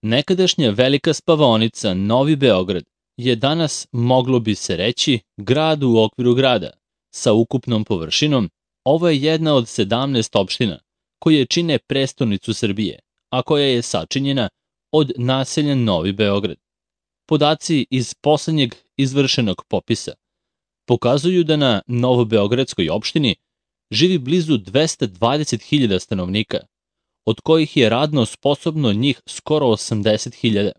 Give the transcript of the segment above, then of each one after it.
Nekadašnja velika spavaonica Novi Beograd je danas, moglo bi se reći, grad u okviru grada. Sa ukupnom površinom, ovo je jedna od 17 opština koje čine prestonicu Srbije, a koja je sačinjena od naselja Novi Beograd. Podaci iz poslednjeg izvršenog popisa pokazuju da na Novobeogradskoj opštini živi blizu 220.000 stanovnika, od kojih je radno sposobno njih skoro 80.000.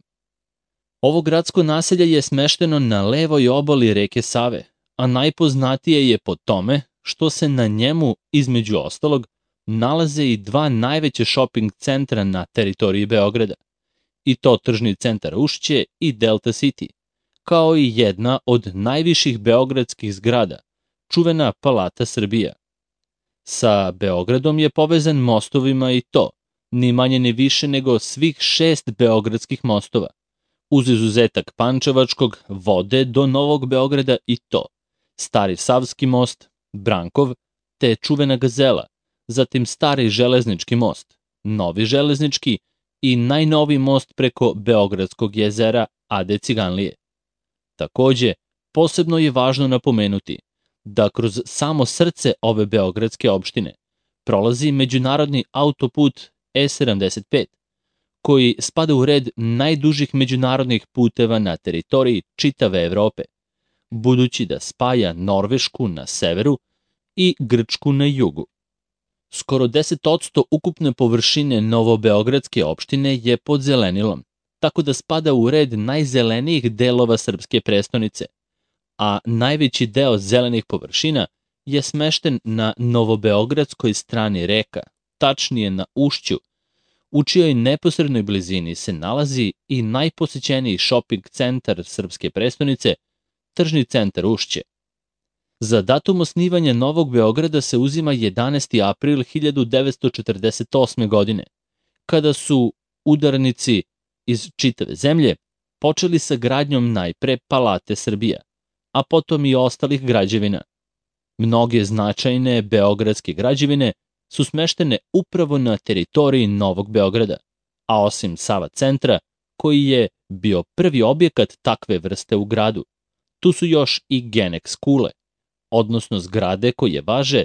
Ovo gradsko naselje je smešteno na levoj obali reke Save, a najpoznatije je po tome što se na njemu, između ostalog, nalaze i dva najveće shopping centra na teritoriji Beograda, i to tržni centar Ušće i Delta City, kao i jedna od najviših beogradskih zgrada, čuvena Palata Srbija. Sa Beogradom je povezan mostovima i to, ni manje ni više nego svih 6 beogradskih mostova. Uz izuzetak Pančevačkog vode do Novog Beograda i to, Stari Savski most, Brankov, te čuvena Gazela, zatim Stari železnički most, Novi železnički i najnoviji most preko Beogradskog jezera Ade Ciganlije. Takođe, posebno je važno napomenuti da kroz samo srce ove beogradske opštine prolazi međunarodni autoput E75, koji spada u red najdužih međunarodnih puteva na teritoriji čitave Evrope, budući da spaja Norvešku na severu i Grčku na jugu. Skoro 10% ukupne površine Novobeogradske opštine je pod zelenilom, tako da spada u red najzelenijih delova srpske prestonice, a najveći deo zelenih površina je smešten na Novobeogradskoj strani reka, tačnije na Ušću, u čijoj neposrednoj blizini se nalazi i najposećeniji shopping centar srpske prestonice, tržni centar Ušće. Za datum osnivanja Novog Beograda se uzima 11. april 1948. godine, kada su udarnici iz čitave zemlje počeli sa gradnjom najpre Palate Srbija, a potom i ostalih građevina. Mnoge značajne beogradske građevine su smeštene upravo na teritoriji Novog Beograda, a osim Sava centra, koji je bio prvi objekat takve vrste u gradu, tu su još i Genex kule, odnosno zgrade koje važe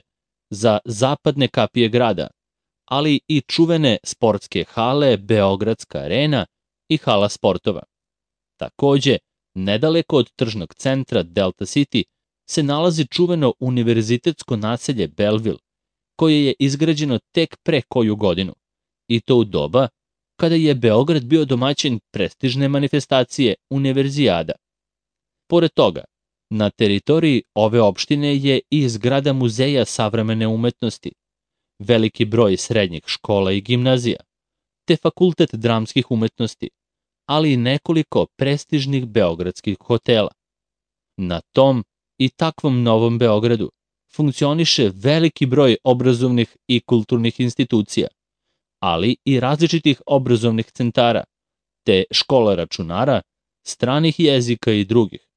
za zapadne kapije grada, ali i čuvene sportske hale Beogradska arena i hala sportova. Takođe, nedaleko od tržnog centra Delta City se nalazi čuveno univerzitetsko naselje Belleville, koje je izgrađeno tek pre koju godinu, i to u doba kada je Beograd bio domaćin prestižne manifestacije Univerzijada. Pored toga, na teritoriji ove opštine je i zgrada Muzeja savremene umetnosti, veliki broj srednjih škola i gimnazija, te Fakultet dramskih umetnosti, ali i nekoliko prestižnih beogradskih hotela. Na tom i takvom Novom Beogradu funkcioniše veliki broj obrazovnih i kulturnih institucija, ali i različitih obrazovnih centara, te škola računara, stranih jezika i drugih.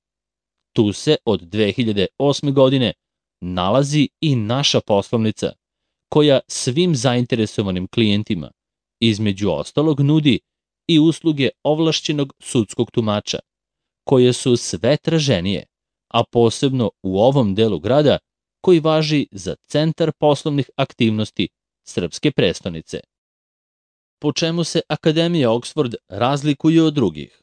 Tu se od 2008. godine nalazi i naša poslovnica, koja svim zainteresovanim klijentima, između ostalog, nudi i usluge ovlašćenog sudskog tumača, koje su sve traženije, a posebno u ovom delu grada koji važi za centar poslovnih aktivnosti srpske prestonice. Po čemu se Akademija Oxford razlikuje od drugih?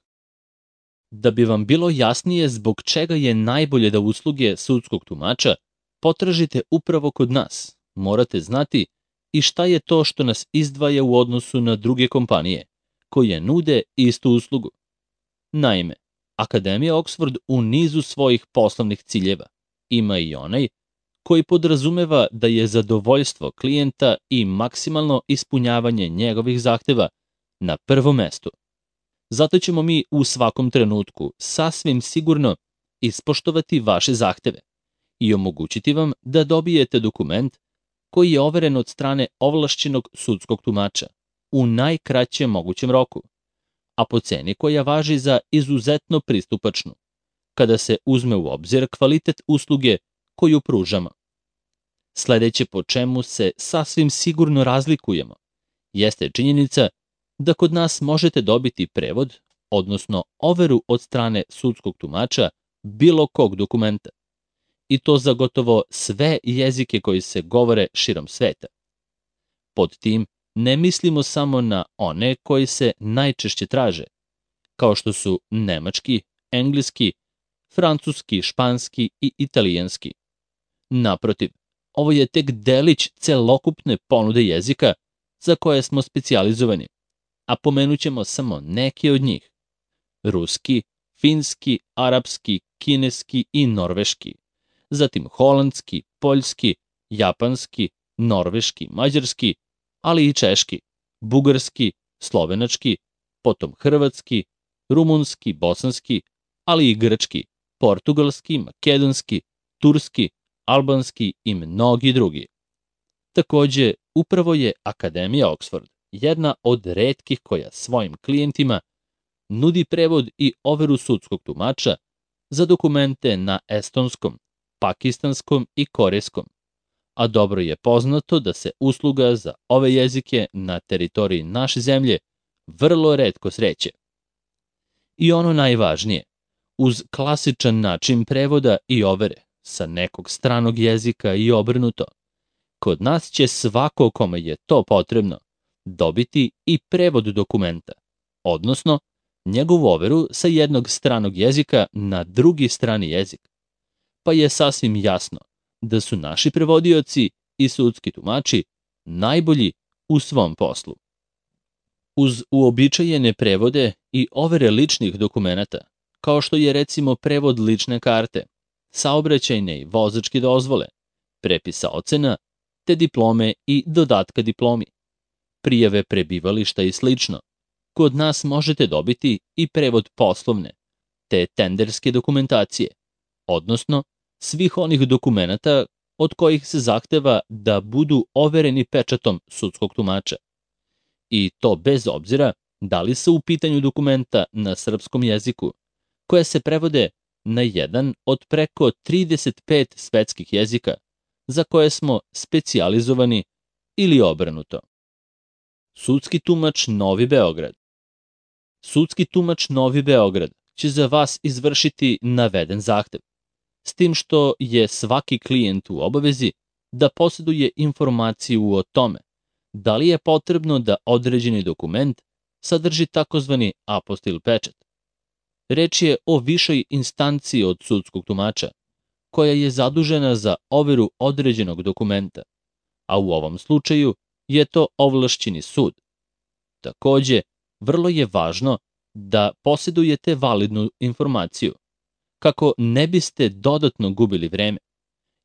Da bi vam bilo jasnije zbog čega je najbolje da usluge sudskog tumača potražite upravo kod nas, morate znati i šta je to što nas izdvaja u odnosu na druge kompanije, koje nude istu uslugu. Naime, Akademija Oxford u nizu svojih poslovnih ciljeva ima i onaj koji podrazumeva da je zadovoljstvo klijenta i maksimalno ispunjavanje njegovih zahteva na prvom mestu. Zato ćemo mi u svakom trenutku sasvim sigurno ispoštovati vaše zahteve i omogućiti vam da dobijete dokument koji je overen od strane ovlašćenog sudskog tumača u najkraćem mogućem roku, a po ceni koja važi za izuzetno pristupačnu, kada se uzme u obzir kvalitet usluge koju pružamo. Sledeće po čemu se sasvim sigurno razlikujemo jeste činjenica da kod nas možete dobiti prevod, odnosno overu od strane sudskog tumača bilo kog dokumenta. I to za gotovo sve jezike koji se govore širom sveta. Pod tim ne mislimo samo na one koji se najčešće traže, kao što su nemački, engleski, francuski, španski i italijanski. Naprotiv, ovo je tek delić celokupne ponude jezika za koje smo specijalizovani, a pomenut ćemo samo neke od njih. Ruski, finski, arapski, kineski i norveški, zatim holandski, poljski, japanski, norveški, mađarski, ali i češki, bugarski, slovenački, potom hrvatski, rumunski, bosanski, ali i grčki, portugalski, makedonski, turski, albanski i mnogi drugi. Takođe, upravo je Akademija Oxford jedna od retkih koja svojim klijentima nudi prevod i overu sudskog tumača za dokumente na estonskom, pakistanskom i korejskom, a dobro je poznato da se usluga za ove jezike na teritoriji naše zemlje vrlo retko sreće. I ono najvažnije, uz klasičan način prevoda i overe sa nekog stranog jezika i obrnuto, kod nas će svako kome je to potrebno dobiti i prevod dokumenta, odnosno njegovu overu sa jednog stranog jezika na drugi strani jezik. Pa je sasvim jasno da su naši prevodioci i sudski tumači najbolji u svom poslu. Uz uobičajene prevode i overe ličnih dokumenata, kao što je recimo prevod lične karte, saobraćajne i vozačke dozvole, prepisa ocena, te diplome i dodatka diplomi, prijave prebivališta i slično, kod nas možete dobiti i prevod poslovne, te tenderske dokumentacije, odnosno svih onih dokumenata od kojih se zahteva da budu overeni pečatom sudskog tumača. I to bez obzira da li su u pitanju dokumenta na srpskom jeziku, koje se prevode na jedan od preko 35 svetskih jezika, za koje smo specijalizovani ili obrnuto. Sudski tumač Novi Beograd. Sudski tumač Novi Beograd će za vas izvršiti naveden zahtev, s tim što je svaki klijent u obavezi da posjeduje informaciju o tome da li je potrebno da određeni dokument sadrži takozvani apostil pečat. Reč je o višoj instanciji od sudskog tumača, koja je zadužena za overu određenog dokumenta, a u ovom slučaju je to ovlašćeni sud. Takođe, vrlo je važno da posjedujete validnu informaciju, kako ne biste dodatno gubili vreme,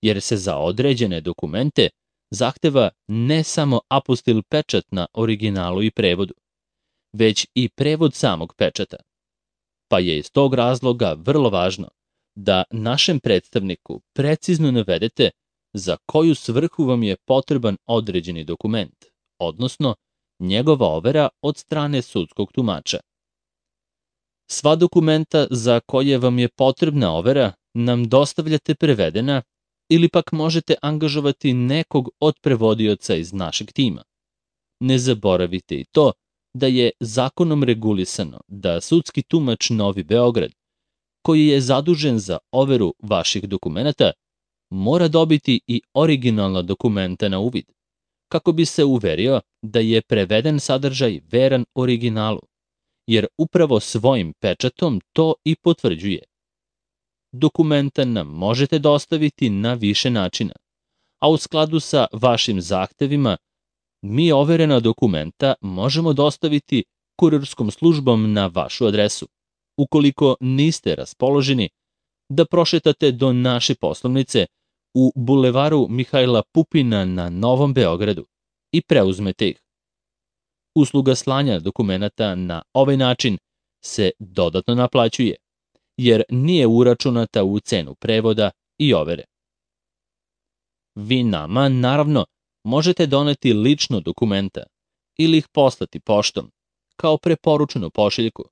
jer se za određene dokumente zahteva ne samo apostil pečat na originalu i prevodu, već i prevod samog pečata. Pa je iz tog razloga vrlo važno da našem predstavniku precizno navedete za koju svrhu vam je potreban određeni dokument, odnosno njegova overa od strane sudskog tumača. Sva dokumenta za koje vam je potrebna overa nam dostavljate prevedena ili pak možete angažovati nekog od prevodioca iz našeg tima. Ne zaboravite i to da je zakonom regulisano da sudski tumač Novi Beograd, koji je zadužen za overu vaših dokumenata, mora dobiti i originalna dokumenta na uvid, kako bi se uverio da je preveden sadržaj veran originalu, jer upravo svojim pečatom to i potvrđuje. Dokumenta nam možete dostaviti na više načina, a u skladu sa vašim zahtevima mi overena dokumenta možemo dostaviti kurirskom službom na vašu adresu, ukoliko niste raspoloženi da prošetate do naše poslovnice u bulevaru Mihajla Pupina na Novom Beogradu i preuzmete ih. Usluga slanja dokumenata na ovaj način se dodatno naplaćuje, jer nije uračunata u cenu prevoda i overe. Vi nama, naravno, možete doneti lično dokumenta ili ih poslati poštom, kao preporučenu pošiljku,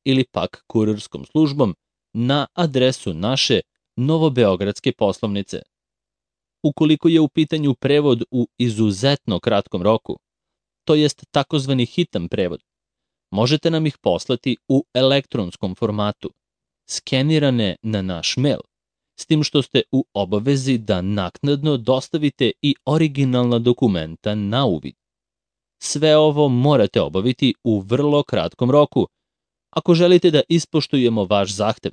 ili pak kurirskom službom na adresu naše novobeogradske poslovnice. Ukoliko je u pitanju prevod u izuzetno kratkom roku, to jest takozvani hitan prevod, Možete nam ih poslati u elektronskom formatu, skenirane na naš mail, s tim što ste u obavezi da naknadno dostavite i originalna dokumenta na uvid. Sve ovo morate obaviti u vrlo kratkom roku, ako želite da ispoštujemo vaš zahtev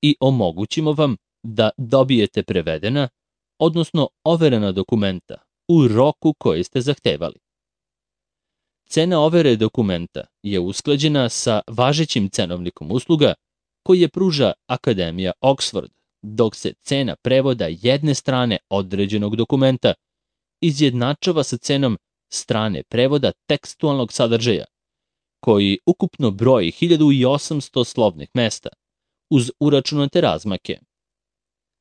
i omogućimo vam da dobijete prevedena, odnosno overena dokumenta u roku koji ste zahtevali. Cena overe dokumenta je usklađena sa važećim cenovnikom usluga koji je pruža Akademija Oxford, dok se cena prevoda jedne strane određenog dokumenta izjednačava sa cenom strane prevoda tekstualnog sadržaja, koji ukupno broji 1800 slovnih mesta, uz uračunate razmake.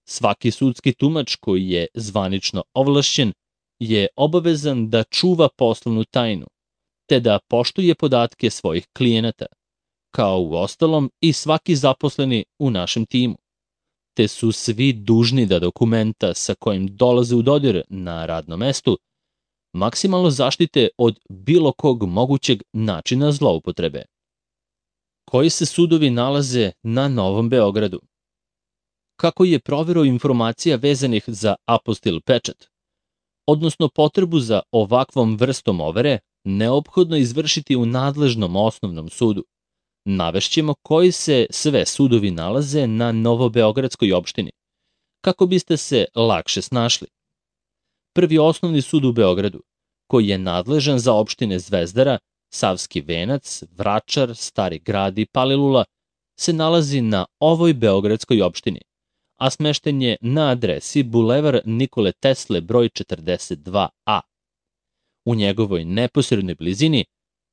Svaki sudski tumač koji je zvanično ovlašćen je obavezan da čuva poslovnu tajnu, te da poštuje podatke svojih klijenata, kao u ostalom i svaki zaposleni u našem timu, te su svi dužni da dokumenta sa kojim dolaze u dodir na radnom mestu maksimalno zaštite od bilo kog mogućeg načina zloupotrebe. Koji se sudovi nalaze na Novom Beogradu? Kako je proverao informacija vezanih za apostil pečat, odnosno potrebu za ovakvom vrstom overe, neophodno izvršiti u nadležnom osnovnom sudu. Navešćemo koji se sve sudovi nalaze na Novobeogradskoj opštini, kako biste se lakše snašli. Prvi osnovni sud u Beogradu, koji je nadležan za opštine Zvezdara, Savski Venac, Vračar, Stari Grad i Palilula, se nalazi na ovoj beogradskoj opštini, a smešten je na adresi Bulevar Nikole Tesle broj 42A. U njegovoj neposrednoj blizini,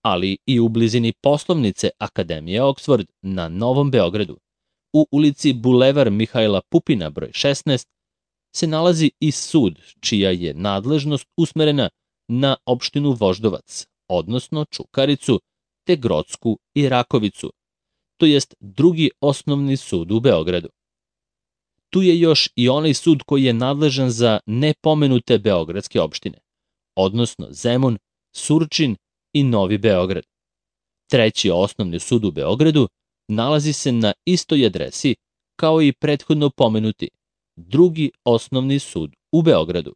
ali i u blizini poslovnice Akademije Oxford na Novom Beogradu, u ulici Bulevar Mihajla Pupina broj 16, se nalazi i sud čija je nadležnost usmerena na opštinu Voždovac, odnosno Čukaricu, te Grocku i Rakovicu, to jest drugi osnovni sud u Beogradu. Tu je još i onaj sud koji je nadležan za nepomenute beogradske opštine, odnosno Zemun, Surčin i Novi Beograd. Treći osnovni sud u Beogradu nalazi se na istoj adresi kao i prethodno pomenuti drugi osnovni sud u Beogradu.